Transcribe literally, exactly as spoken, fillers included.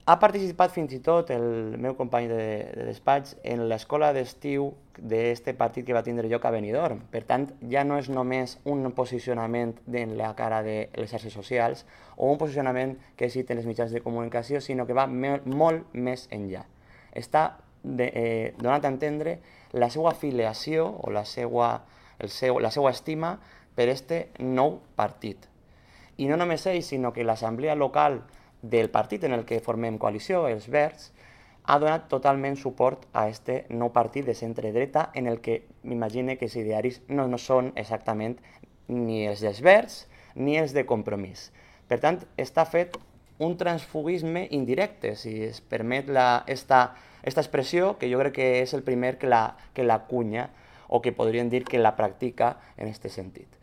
Ha participat fins i tot el meu company de, de despatx en l'escola d'estiu d'aquest partit que va tindre lloc a Benidorm. Per tant, ja no és només un posicionament en la cara de les xarxes socials o un posicionament que citen els mitjans de comunicació, sinó que va me molt més enllà. Està de, eh, donant a entendre la seva afiliació o la seva, el seu, la seva estima per este nou partit. I no només ell, sinó que l'assemblea local del partit en el que formem coalició, els Verds, ha donat totalment suport a este nou partit de centre-dreta en el que m'imagine que els idearis no, no són exactament ni els dels Verds ni els de Compromís. Per tant, està fet un transfugisme indirecte, si es permet la, esta, esta expressió, que jo crec que és el primer que la, que la cunya o que podríem dir que la practica en aquest sentit.